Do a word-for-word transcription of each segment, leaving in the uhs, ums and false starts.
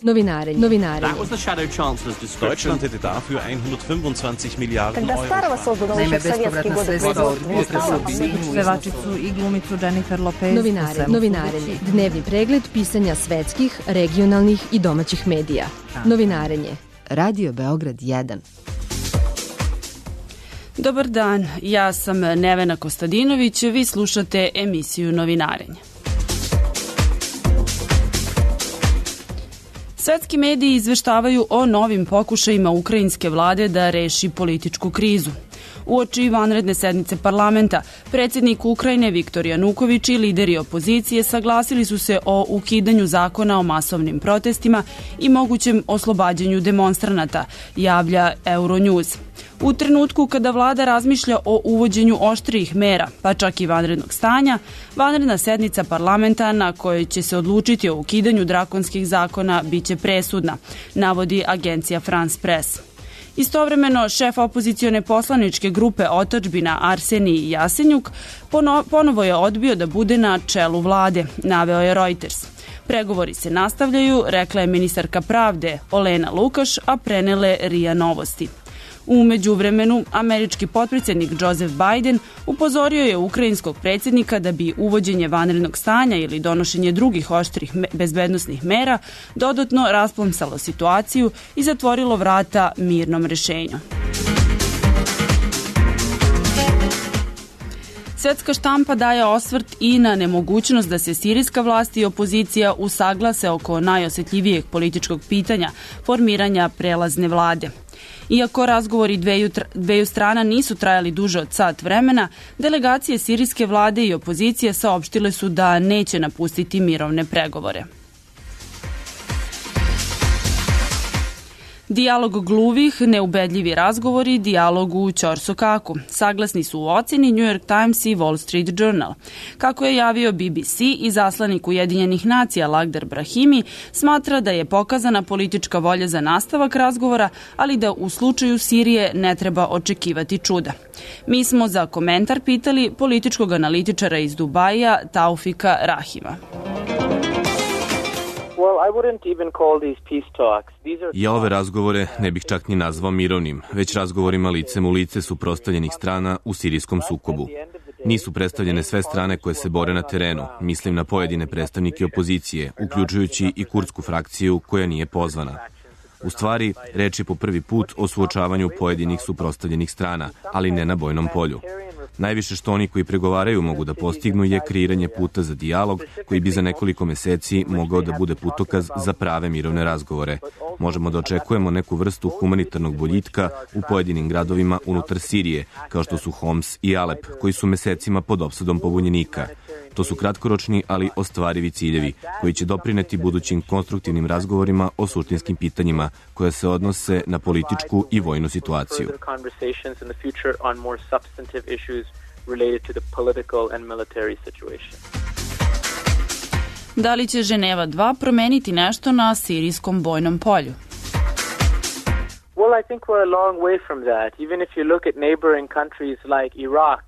Novinarenje. Novinarenje. Deutschland hätte dafür hundertfünfundzwanzig Milliarden Euro. Naime, bespovratna sredstva od pevačicu i glumicu Jennifer Lopez. Novinarenje. Novinarenje. Dnevni pregled pisanja svetskih, regionalnih i domaćih medija. Novinarenje. Radio Beograd jedan. Dobar dan, ja sam Nevena Kostadinović, vi slušate emisiju Novinarenje. Svetski mediji izveštavaju o novim pokušajima ukrajinske vlade da reši političku krizu. Uoči vanredne sednice parlamenta, predsjednik Ukrajine Viktor Januković i lideri opozicije saglasili su se o ukidanju zakona o masovnim protestima i mogućem oslobađanju demonstranata, javlja Euronews. U trenutku kada vlada razmišlja o uvođenju oštrijih mera, pa čak i vanrednog stanja, vanredna sednica parlamenta na kojoj će se odlučiti o ukidanju drakonskih zakona biće presudna, navodi agencija France Press. Istovremeno, šef opozicione poslaničke grupe Otadžbina Arsenij Jasenjuk pono, ponovo je odbio da bude na čelu vlade, naveo je Reuters. Pregovori se nastavljaju, rekla je ministarka pravde Olena Lukaš, a prenele RIA Novosti. U međuvremenu, američki potpredsjednik Joseph Biden upozorio je ukrajinskog predsjednika da bi uvođenje vanrednog stanja ili donošenje drugih oštrih bezbednosnih mera dodatno rasplomsalo situaciju i zatvorilo vrata mirnom rešenju. Svetska štampa daje osvrt i na nemogućnost da se sirijska vlast i opozicija usaglase oko najosjetljivijeg političkog pitanja formiranja prelazne vlade. Iako razgovori dveju, dveju strana nisu trajali duže od sat vremena, delegacije sirijske vlade i opozicije saopštile su da neće napustiti mirovne pregovore. Dijalog gluvih, neubedljivi razgovori, dijalog u ćorsokaku. Saglasni su u ocjeni New York Times i Wall Street Journal. Kako je javio B B C, i zaslanik Ujedinjenih nacija Lagdar Brahimi smatra da je pokazana politička volja za nastavak razgovora, ali da u slučaju Sirije ne treba očekivati čuda. Mi smo za komentar pitali političkog analitičara iz Dubaija Taufika Rahima. Ja ove razgovore ne bih čak ni nazvao mirovnim, već razgovorima licem u lice suprotstavljenih strana u sirijskom sukobu. Nisu predstavljene sve strane koje se bore na terenu, mislim na pojedine predstavnike opozicije, uključujući i kurdsku frakciju koja nije pozvana. U stvari, reč je po prvi put o suočavanju pojedinih suprotstavljenih strana, ali ne na bojnom polju. Najviše što oni koji pregovaraju mogu da postignu je kreiranje puta za dijalog koji bi za nekoliko meseci mogao da bude putokaz za prave mirovne razgovore. Možemo da očekujemo neku vrstu humanitarnog boljitka u pojedinim gradovima unutar Sirije, kao što su Homs i Alep, koji su mesecima pod opsadom pobunjenika. To su kratkoročni, ali ostvarivi ciljevi, koji će doprineti budućim konstruktivnim razgovorima o suštinskim pitanjima koja se odnose na političku i vojnu situaciju. Da li će Ženeva dva promeniti nešto na sirijskom bojnom polju? Well, I think we're a long way from that. Even if you look at neighboring countries like Iraq,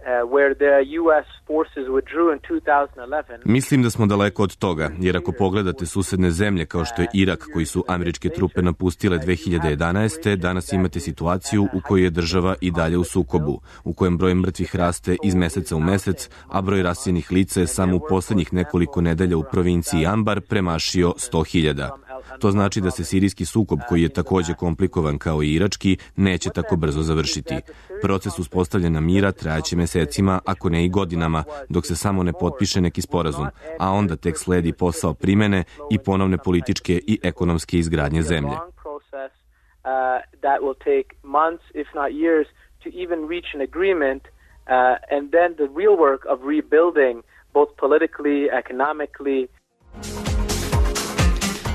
Uh, where the U S forces withdrew in two thousand eleven. Mislim da smo daleko od toga, jer ako pogledate susedne zemlje kao što je Irak, koji su američke trupe napustile dve hiljade jedanaeste. danas imate situaciju u kojoj je država i dalje u sukobu, u kojem broj mrtvih raste iz meseca u mesec, a broj raseljenih lica je samo u poslednjih nekoliko nedelja u provinciji Anbar premašio sto hiljada. To znači da se sirijski sukob, koji je takođe komplikovan kao i irački, neće tako brzo završiti. Proces uspostavljanja mira trajaće mesecima, ako ne i godinama, dok se samo ne potpiše neki sporazum, a onda tek sledi posao primene i ponovne političke i ekonomske izgradnje zemlje.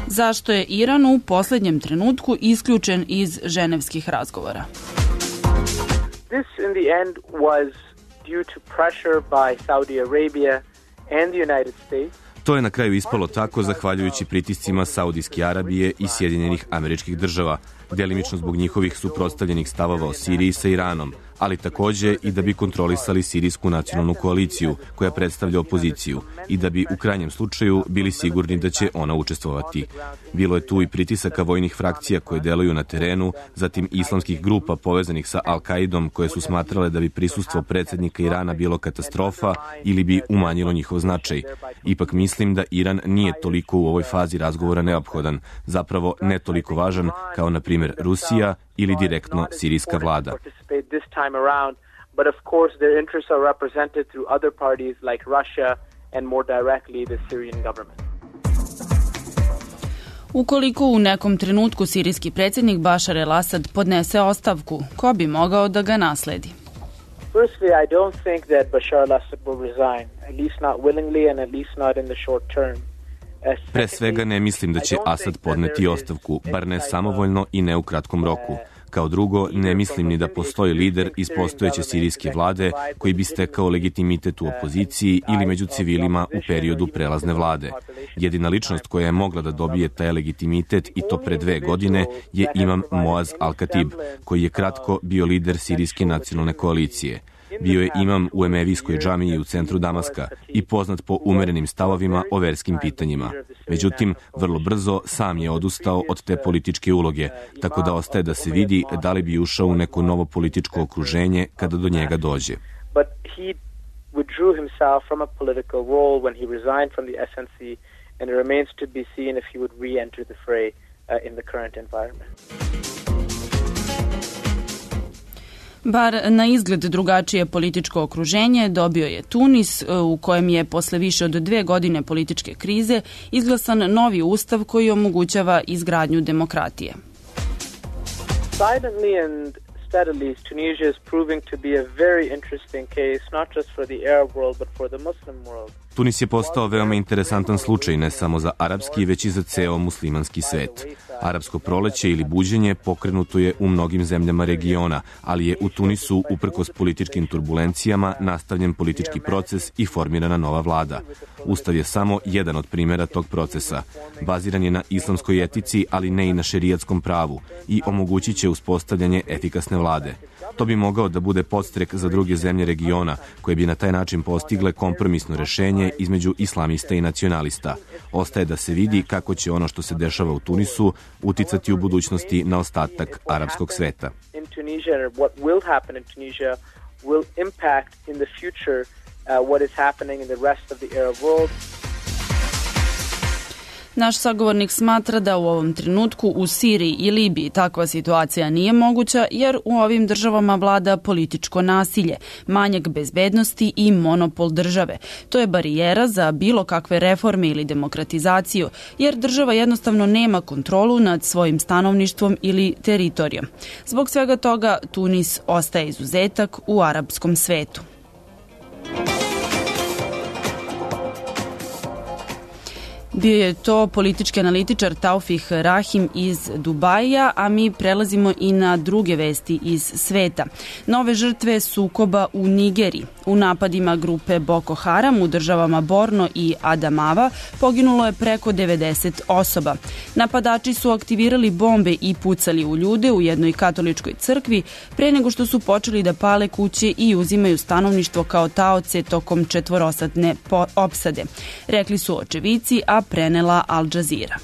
Zašto je Iran u posljednjem trenutku isključen iz ženevskih razgovora? This in the end was due to pressure by Saudi Arabia and the United States. To je na kraju ispalo tako zahvaljujući pritiscima Saudijske Arabije i Sjedinjenih Američkih Država, delimično zbog njihovih suprotstavljenih stavova o Siriji sa Iranom, ali takođe i da bi kontrolisali sirijsku nacionalnu koaliciju koja predstavlja opoziciju i da bi u krajnjem slučaju bili sigurni da će ona učestvovati. Bilo je tu i pritisaka vojnih frakcija koje deluju na terenu, zatim islamskih grupa povezanih sa Al-Kaidom koje su smatrale da bi prisustvo predsjednika Irana bilo katastrofa ili bi umanjilo njihov značaj. Ipak mislim da Iran nije toliko u ovoj fazi razgovora neophodan, zapravo ne toliko važan kao na primjer Rusija ili direktno sirijska vlada. But of course their interests are represented through other parties like Russia and more directly the Syrian government. Ukoliko u nekom trenutku sirijski predsjednik Bašar el-Asad podnese ostavku, ko bi mogao da ga nasledi? Firstly, I don't think that Bashar al-Assad will resign, at least not willingly and at least not in the short term. Pre svega ne mislim da će Asad podneti ostavku, bar ne samovoljno i ne u kratkom roku. Kao drugo, ne mislim ni da postoji lider iz postojeće sirijske vlade koji bi stekao legitimitet u opoziciji ili među civilima u periodu prelazne vlade. Jedina ličnost koja je mogla da dobije taj legitimitet i to pre dve godine je imam Moaz al-Khatib, koji je kratko bio lider sirijske nacionalne koalicije. Bio je imam u Emevijskoj džamiji u centru Damaska i poznat po umerenim stavovima o verskim pitanjima. Međutim, vrlo brzo sam je odustao od te političke uloge, tako da ostaje da se vidi da li bi ušao u neko novo političko okruženje kada do njega dođe. But he withdrew himself from a political role when he resigned from the S N C, and it remains to be seen if he would re-enter the fray uh, in the current environment. Bar na izgled drugačije političko okruženje dobio je Tunis, u kojem je posle više od dve godine političke krize izglasan novi ustav koji omogućava izgradnju demokratije. Silently and steadily, Tunisia is proving to be a very interesting case, not just for the Arab world, but for the Muslim world. Tunis je postao veoma interesantan slučaj ne samo za arapski, već i za ceo muslimanski svet. Arapsko proleće ili buđenje pokrenuto je u mnogim zemljama regiona, ali je u Tunisu, uprkos političkim turbulencijama, nastavljen politički proces i formirana nova vlada. Ustav je samo jedan od primjera tog procesa. Baziran je na islamskoj etici, ali ne i na šerijatskom pravu i omogućit će uspostavljanje efikasne vlade. To bi mogao da bude podstrek za druge zemlje regiona, koje bi na taj način postigle kompromisno rešenje između islamista i nacionalista. Ostaje da se vidi kako će ono što se dešava u Tunisu uticati u budućnosti na ostatak arapskog sveta. In Tunisia, what will happen in Tunisia will impact in the future uh, what is happening in the rest of the Arab world. Naš sagovornik smatra da u ovom trenutku u Siriji i Libiji takva situacija nije moguća jer u ovim državama vlada političko nasilje, manjak bezbednosti i monopol države. To je barijera za bilo kakve reforme ili demokratizaciju jer država jednostavno nema kontrolu nad svojim stanovništvom ili teritorijom. Zbog svega toga Tunis ostaje izuzetak u arapskom svetu. Bio je to politički analitičar Taufik Rahim iz Dubaija, a mi prelazimo i na druge vesti iz sveta. Nove žrtve sukoba u Nigeriji. U napadima grupe Boko Haram u državama Borno i Adamawa poginulo je preko devedeset osoba. Napadači su aktivirali bombe i pucali u ljude u jednoj katoličkoj crkvi pre nego što su počeli da pale kuće i uzimaju stanovništvo kao taoce tokom četvorosadne opsade. Rekli su očevici, a prenela Al Jazeera.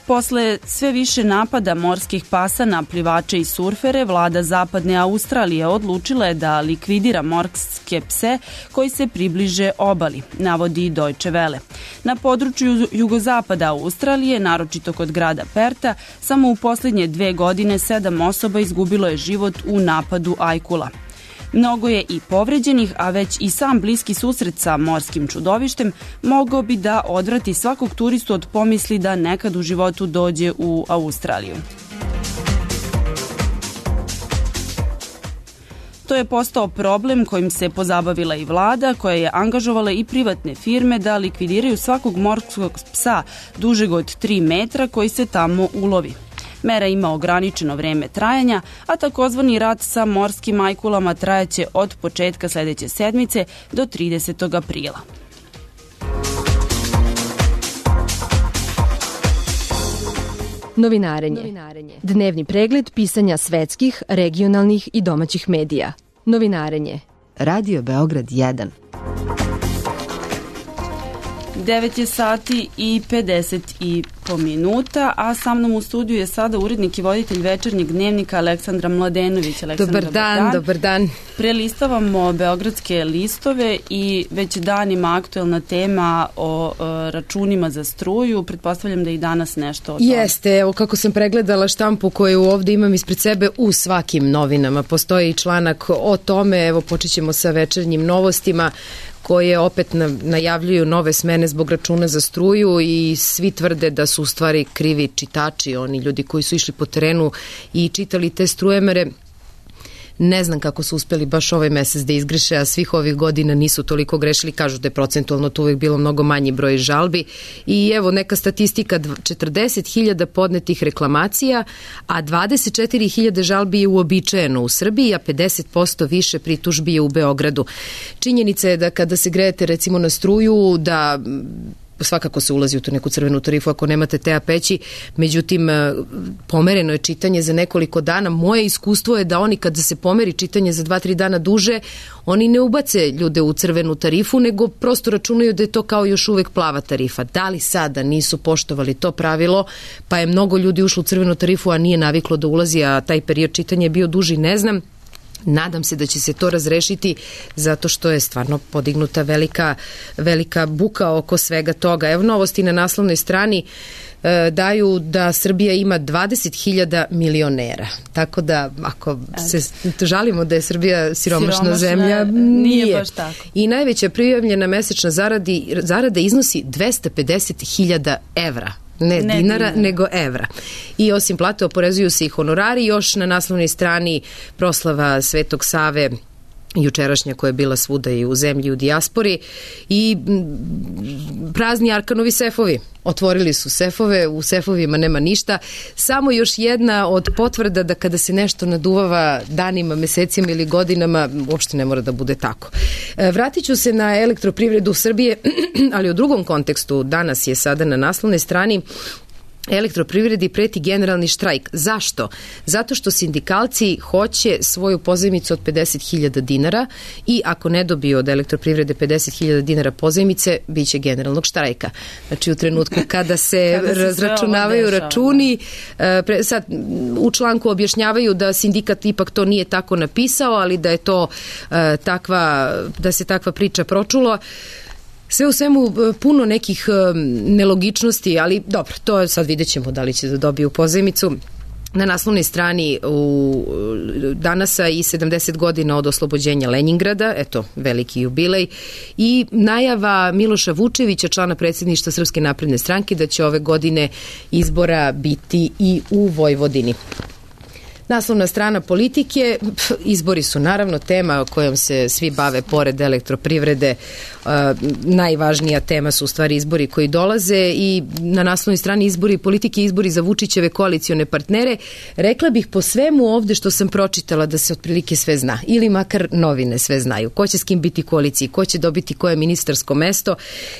Posle sve više napada morskih pasa na plivače i surfere, vlada zapadne Australije odlučila je da likvidira morske pse koji se približe obali, navodi Deutsche Welle. Na području jugozapada Australije, naročito kod grada Perta, samo u posljednje dve godine sedam osoba izgubilo je život u napadu ajkula. Mnogo je i povređenih, a već i sam bliski susret sa morskim čudovištem mogao bi da odvrati svakog turistu od pomisli da nekad u životu dođe u Australiju. To je postao problem kojim se pozabavila i vlada, koja je angažovala i privatne firme da likvidiraju svakog morskog psa dužeg od tri metra koji se tamo ulovi. Mera ima ograničeno vreme trajanja, a takozvani rat sa morskim ajkulama trajaće od početka sledeće sedmice do tridesetog aprila. Novinarenje. Dnevni pregled pisanja svetskih, regionalnih i domaćih medija. Novinarenje. Radio Beograd jedan. devet je sati i pedeset i po minuta, a sa mnom u studiju je sada urednik i voditelj večernjeg dnevnika Aleksandra Mladenović. Aleksandra, dobar dan, dan, dobar dan. Prelistavamo beogradske listove i već danima aktuelna tema o uh, računima za struju. Pretpostavljam da i danas nešto o tome. Jeste, evo kako sam pregledala štampu koju ovde imam ispred sebe, u svakim novinama postoji članak o tome. Evo počet ćemo sa večernjim novostima koje opet najavljuju nove smene zbog računa za struju i svi tvrde da su u stvari krivi čitači, oni ljudi koji su išli po terenu i čitali te strujemere. Ne znam kako su uspeli baš ovaj mesec da izgreše, a svih ovih godina nisu toliko grešili, kažu da je procentualno to uvijek bilo mnogo manji broj žalbi. I evo neka statistika, četrdeset hiljada podnetih reklamacija, a dvadeset četiri hiljade žalbi je uobičajeno u Srbiji, a pedeset posto više pritužbi je u Beogradu. Činjenica je da kada se grejete recimo na struju, da svakako se ulazi u tu neku crvenu tarifu ako nemate te peći, međutim pomereno je čitanje za nekoliko dana. Moje iskustvo je da oni kada se pomeri čitanje za dva tri dana duže, oni ne ubace ljude u crvenu tarifu, nego prosto računaju da je to kao još uvek plava tarifa. Da li sada nisu poštovali to pravilo, pa je mnogo ljudi ušlo u crvenu tarifu, a nije naviklo da ulazi, a taj period čitanja je bio duži, ne znam. Nadam se da će se to razrešiti zato što je stvarno podignuta velika, velika buka oko svega toga. Evo novosti na naslovnoj strani e, daju da Srbija ima dvadeset hiljada milionera. Tako da ako se žalimo da je Srbija siromašna, siromašna zemlja, nije. nije baš tako. I najveća prijavljena mesečna zaradi, zarada iznosi dvesta pedeset hiljada evra. Ne, ne dinara, dinara, nego evra. I osim plate oporezuju se i honorari. Još na naslovnoj strani proslava Svetog Save, jučerašnja, koja je bila svuda i u zemlji i u dijaspori, i prazni Arkanovi sefovi. Otvorili su sefove, u sefovima nema ništa. Samo još jedna od potvrda da kada se nešto naduvava danima, mesecima ili godinama, uopšte ne mora da bude tako. Vratit ću se na elektroprivredu Srbije, ali u drugom kontekstu. Danas je sada na naslovnoj strani elektroprivredi preti generalni štrajk. Zašto? Zato što sindikalci hoće svoju pozajmicu od pedeset hiljada dinara i ako ne dobiju od elektroprivrede pedeset hiljada dinara pozajmice, bit će generalnog štrajka. Znači u trenutku kada se, kada se razračunavaju računi, pre, sad u članku objašnjavaju da sindikat ipak to nije tako napisao, ali da je to uh, takva, da se takva priča pročula. Sve u svemu puno nekih nelogičnosti, ali dobro, to sad vidjet ćemo da li će da dobiju pozajmicu. Na naslovnoj strani u danasa i sedamdeset godina od oslobođenja Lenjingrada, eto, veliki jubilej, i najava Miloša Vučevića, člana predsjedništva Srpske napredne stranke, da će ove godine izbora biti i u Vojvodini. Naslovna strana Politike, izbori su naravno tema kojom se svi bave pored elektroprivrede. Uh, najvažnija tema su u stvari izbori koji dolaze i na naslovnoj strani izbori Politike, izbori za Vučićeve koalicione partnere. Rekla bih po svemu ovde što sam pročitala da se otprilike sve zna, ili makar novine sve znaju. Ko će s kim biti koaliciji, ko će dobiti koje ministarsko mesto.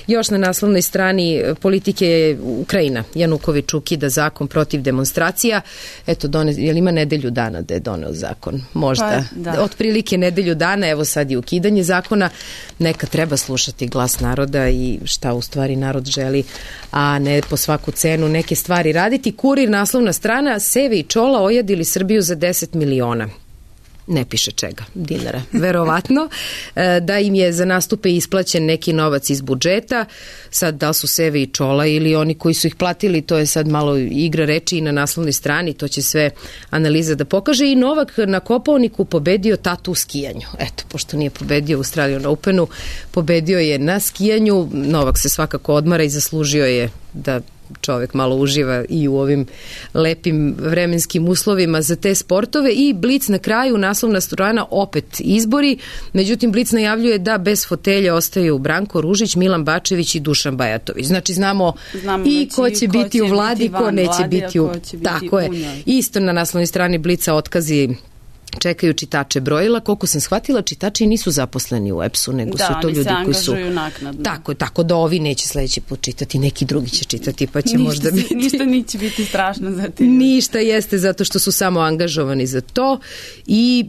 Još na naslovnoj strani Politike je Ukrajina. Januković ukida zakon protiv demonstracija. Eto, done, je li ima nedelju dana da je doneo zakon? Možda. Pa, da. Otprilike nedelju dana, evo sad je ukidanje zakona. Neka treba slušati glas naroda i šta u stvari narod želi, a ne po svaku cenu neke stvari raditi. Kurir, naslovna strana, Seve i Čola ojadili Srbiju za deset miliona. Ne piše čega, dinara, verovatno, da im je za nastupe isplaćen neki novac iz budžeta. Sad da su Seve i Čola ili oni koji su ih platili, to je sad malo igra reči i na naslovnoj strani, to će sve analiza da pokaže. I Novak na Kopaoniku pobedio tatu u skijanju. Eto, pošto nije pobedio u Australian Openu, pobedio je na skijanju. Novak se svakako odmara i zaslužio je da čovek malo uživa i u ovim lepim vremenskim uslovima za te sportove. I Blic na kraju, naslovna strana, opet izbori, međutim Blic najavljuje da bez fotelje ostaju Branko Ružić, Milan Bačević i Dušan Bajatović. Znači znamo, znamo i ko će ko biti će u vladi, biti ko neće vladi, biti u... Biti tako u je. Njoj. Isto na naslovnoj strani Blica otkazi čekaju čitače brojila. Koliko sam shvatila, čitači nisu zaposleni u E P S-u, nego da, su to ljudi koji su... Da, oni se angažuju naknadno. Tako, tako da ovi neće sledeći put čitati, neki drugi će čitati, pa će ništa možda si, biti... Ništa neće biti strašno za te. Ništa jeste, zato što su samo angažovani za to i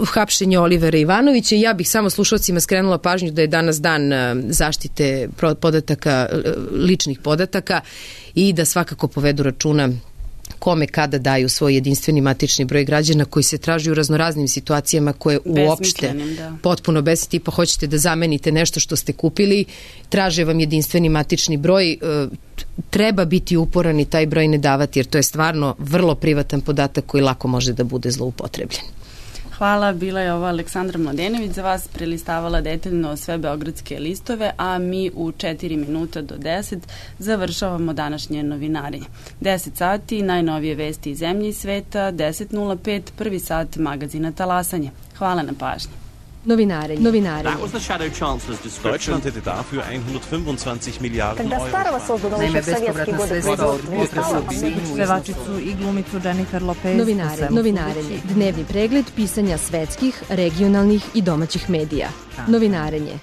hapšenje Olivera Ivanovića. Ja bih samo slušalcima skrenula pažnju da je danas dan zaštite podataka, ličnih podataka i da svakako povedu računa kome kada daju svoj jedinstveni matični broj građana koji se traži u raznoraznim situacijama koje uopšte da. potpuno bez tipa hoćete da zamenite nešto što ste kupili, traže vam jedinstveni matični broj, treba biti uporan i taj broj ne davati jer to je stvarno vrlo privatan podatak koji lako može da bude zloupotrebljen. Hvala, bila je ova Aleksandra Mladenović za vas, prelistavala detaljno sve beogradske listove, a mi u četiri minuta do deset završavamo današnje novinarenje. deset sati, najnovije vesti iz zemlje i sveta, deset nula pet, prvi sat magazina Talasanje. Hvala na pažnji. Novinarenje. Novinarenje. That was the Shadow Chancellor's description. Deutschland hätte dafür hundertfünfundzwanzig Milliarden Euro. Naime, bespovratna sredstva od pevačicu i glumicu Jennifer Lopez. Novinarenje. Novinarenje. Dnevni pregled pisanja svetskih, regionalnih i domaćih medija. Novinarenje.